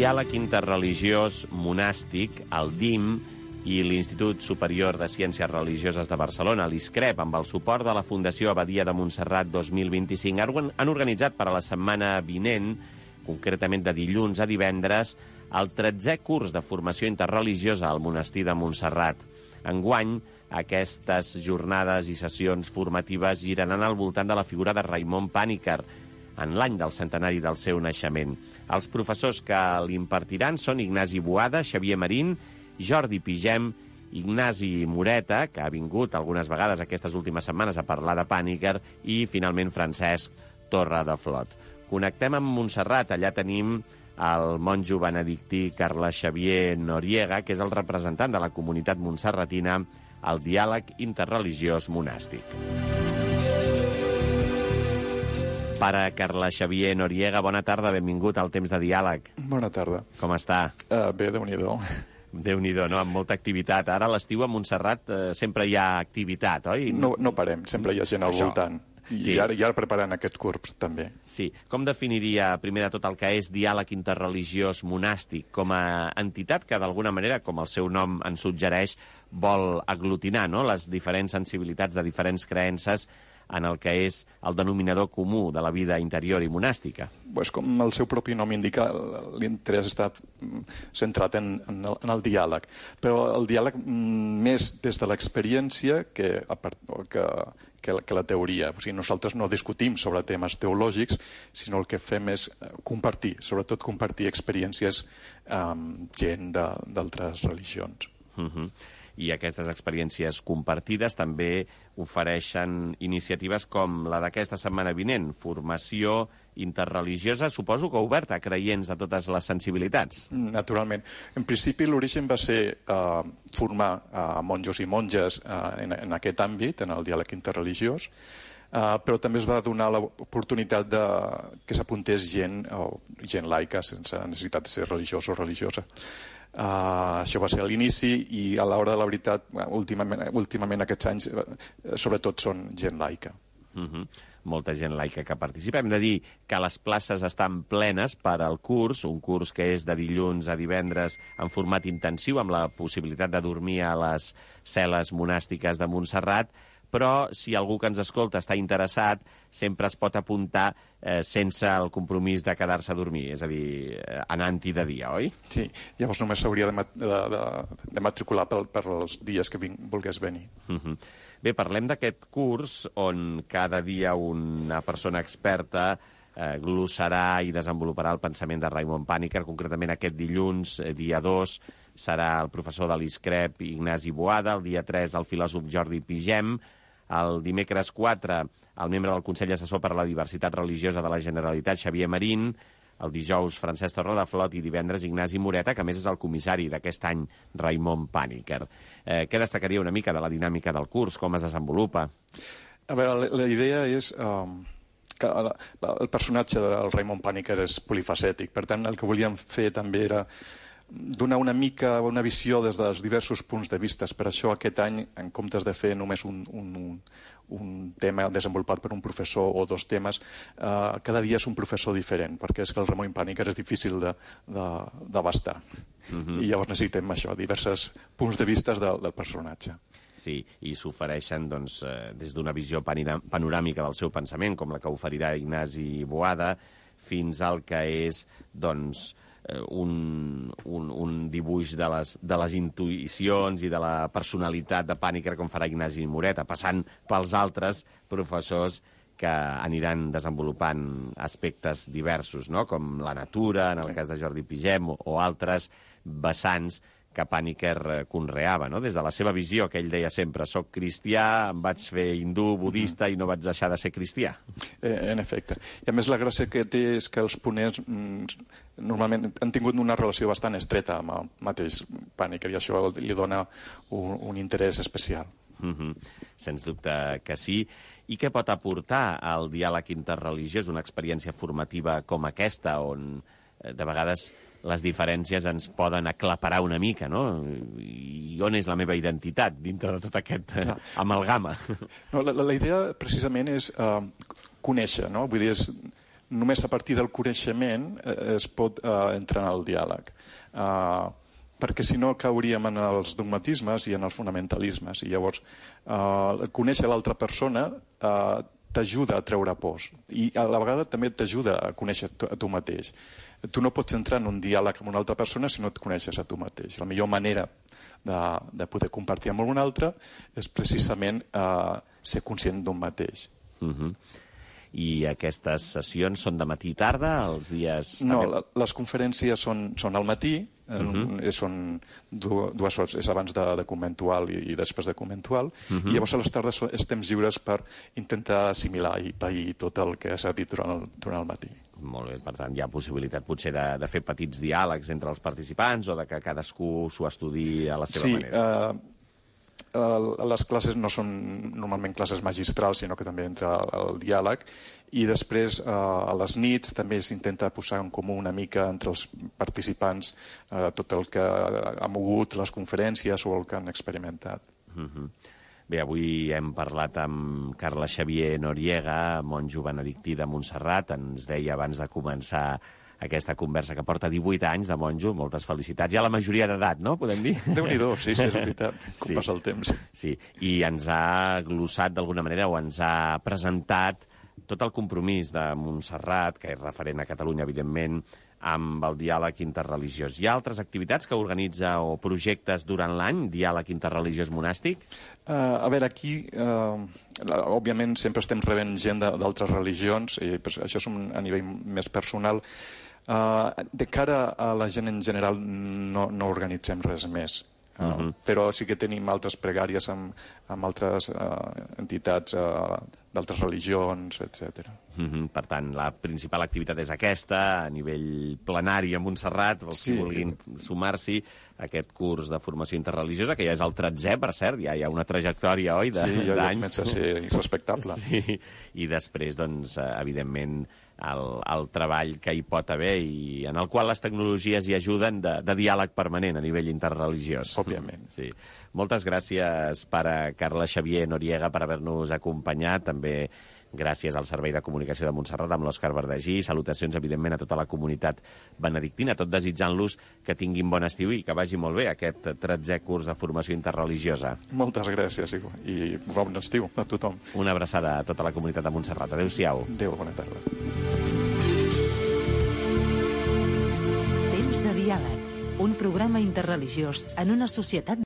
Diàleg Interreligiós Monàstic, el DIM, i l'Institut Superior de Ciències Religioses de Barcelona, l'ISCREP, amb el suport de la Fundació Abadia de Montserrat 2025, han organitzat per a la setmana vinent, concretament de dilluns a divendres, el 13è curs de formació interreligiosa al monestir de Montserrat. Enguany, aquestes jornades i sessions formatives giraran al voltant de la figura de Raimon Pàniker, en l'any del centenari del seu naixement. Els professors que l'impartiran són Ignasi Boada, Xavier Marín, Jordi Pigem, Ignasi Moreta, que ha vingut algunes vegades aquestes últimes setmanes a parlar de Pàniker, i, finalment, Francesc Torredeflot. Connectem amb Montserrat. Allà tenim el monjo benedictí Carles Xavier Noriega, que és el representant de la comunitat montserratina al Diàleg Interreligiós Monàstic. Pare Carles Xavier Noriega, bona tarda, benvingut al Temps de Diàleg. Bona tarda. Com està? Bé, Déu-n'hi-do. Déu-n'hi-do, no? Amb molta activitat. Ara a l'estiu a Montserrat sempre hi ha activitat, oi? No parem, sempre hi ha gent al voltant. I sí. ara preparant aquest curs, també. Sí. Com definiria, primer de tot, el que és Diàleg Interreligiós Monàstic com a entitat que, d'alguna manera, com el seu nom en suggereix, vol aglutinar, no?, les diferents sensibilitats de diferents creences en el que és el denominador comú de la vida interior i monàstica? Pues com el seu propi nom indica, l'interès està centrat en el diàleg. Però el diàleg més des de l'experiència que la teoria. O sigui, nosaltres no discutim sobre temes teològics, sinó el que fem és compartir, sobretot compartir experiències amb gent d'altres religions. I aquestes experiències compartides també ofereixen iniciatives com la d'aquesta setmana vinent, formació interreligiosa, suposo que oberta a creients de totes les sensibilitats. Naturalment. En principi l'origen va ser formar monjos i monges en aquest àmbit, en el diàleg interreligiós, però també es va donar l'oportunitat que s'apuntés gent laica, sense necessitat de ser religiós o religiosa. Això va ser a l'inici i a l'hora de la veritat, últimament aquests anys, sobretot són gent laica. Molta gent laica que participa. Hem de dir que les places estan plenes per al curs, un curs que és de dilluns a divendres en format intensiu, amb la possibilitat de dormir a les cel·les monàstiques de Montserrat, però si algú que ens escolta està interessat, sempre es pot apuntar sense el compromís de quedar-se a dormir, és a dir, anant-hi de dia, oi? Sí, llavors només s'hauria de matricular per els dies que volgués venir. Bé, parlem d'aquest curs on cada dia una persona experta glossarà i desenvoluparà el pensament de Raimon Pàniker. Concretament aquest dilluns, dia 2, serà el professor de l'ISCREP Ignasi Boada, el dia 3 el filòsof Jordi Pigem, el dimecres 4 el membre del Consell Assessor per a la Diversitat Religiosa de la Generalitat, Xavier Marín, el dijous Francesc Torredeflot i divendres Ignasi Moreta, que a més és el comissari d'aquest any, Raimon Pàniker. Què destacaria una mica de la dinàmica del curs? Com es desenvolupa? A veure, la idea és que el personatge del Raimon Pàniker és polifacètic. Per tant, el que volíem fer també era donar una mica una visió des dels diversos punts de vista. Per això aquest any, en comptes de fer només un tema desenvolupat per un professor o dos temes, cada dia és un professor diferent, perquè és que el Raimon Pàniker és difícil d'abastar. I llavors necessitem això, diversos punts de vista del personatge. Sí, i s'ofereixen des d'una visió panoràmica del seu pensament, com la que oferirà Ignasi Boada, fins al que és, un dibuix de les intuïcions i de la personalitat de Pàniker com farà Ignasi Moreta, passant pels altres professors que aniran desenvolupant aspectes diversos, no?, com la natura, en el cas de Jordi Pigem, o altres vessants que Pàniker conreava, no?, des de la seva visió, que ell deia sempre: soc cristià, em vaig fer hindú, budista i no vaig deixar de ser cristià. En efecte. I a més la gràcia que té és que els ponents normalment han tingut una relació bastant estreta amb el mateix Pàniker i això li dona un interès especial. Sens dubte que sí. I què pot aportar al diàleg interreligiós una experiència formativa com aquesta, on de vegades les diferències ens poden aclaparar una mica, no? I on és la meva identitat dintre de tot aquest amalgama? No, la idea precisament és conèixer, no? Vull dir, només a partir del coneixement es pot entrar en el diàleg. Perquè si no cauríem en els dogmatismes i en els fonamentalismes. I llavors, conèixer l'altra persona t'ajuda a treure pors. I a la vegada també t'ajuda a conèixer a tu mateix. Tu no pots entrar en un diàleg amb una altra persona si no et coneixes a tu mateix. La millor manera de poder compartir amb algun altre és precisament ser conscient d'un mateix. I aquestes sessions són de matí i tarda, els dies... No, les conferències són al matí, són 2 hores, és abans de conventual i després de conventual, i llavors a les tardes és temps lliures per intentar assimilar i pair tot el que s'ha dit durant el matí. Molt bé, per tant, hi ha possibilitat potser de fer petits diàlegs entre els participants o de que cadascú s'ho estudiï a la seva manera. Les classes no són normalment classes magistrals, sinó que també entra el diàleg, i després a les nits també s'intenta posar en comú una mica entre els participants tot el que ha mogut les conferències o el que han experimentat. Bé, avui hem parlat amb Carles Xavier Noriega, monjo benedictí de Montserrat. Ens deia abans de començar aquesta conversa que porta 18 anys de monjo. Moltes felicitats. Ja la majoria d'edat, no? Podem dir? Déu-n'hi-do, sí, és veritat, com passa el temps. Sí, i ens ha glossat d'alguna manera o ens ha presentat tot el compromís de Montserrat, que és referent a Catalunya, evidentment, amb el diàleg interreligiós. Hi ha altres activitats que organitza o projectes durant l'any, diàleg interreligiós monàstic? A veure, aquí, òbviament, sempre estem rebent gent d'altres religions, i això és a nivell més personal. De cara a la gent en general no organitzem res més. Però sí que tenim altres pregàries amb altres entitats d'altres religions, etc. Per tant, la principal activitat és aquesta, a nivell plenari a Montserrat, els que vulguin sumar-s'hi a aquest curs de formació interreligiosa, que ja és el 13è, per cert, ja hi ha una trajectòria, oi, d'anys. Sí, ja comença a ser respectable. Sí, i després, doncs, evidentment, el treball que hi pot haver i en el qual les tecnologies hi ajuden de diàleg permanent a nivell interreligiós. Òbviament. Sí. Moltes gràcies per a Carles Xavier Noriega per haver-nos acompanyat. També gràcies al Servei de Comunicació de Montserrat amb l'Òscar Verdagí. Salutacions, evidentment, a tota la comunitat benedictina, tot desitjant-los que tinguin bon estiu i que vagi molt bé aquest 13è curs de formació interreligiosa. Moltes gràcies i bon estiu a tothom. Una abraçada a tota la comunitat de Montserrat. Adéu-siau. Adéu, bona tarda. Temps de diàleg, un programa interreligiós en una societat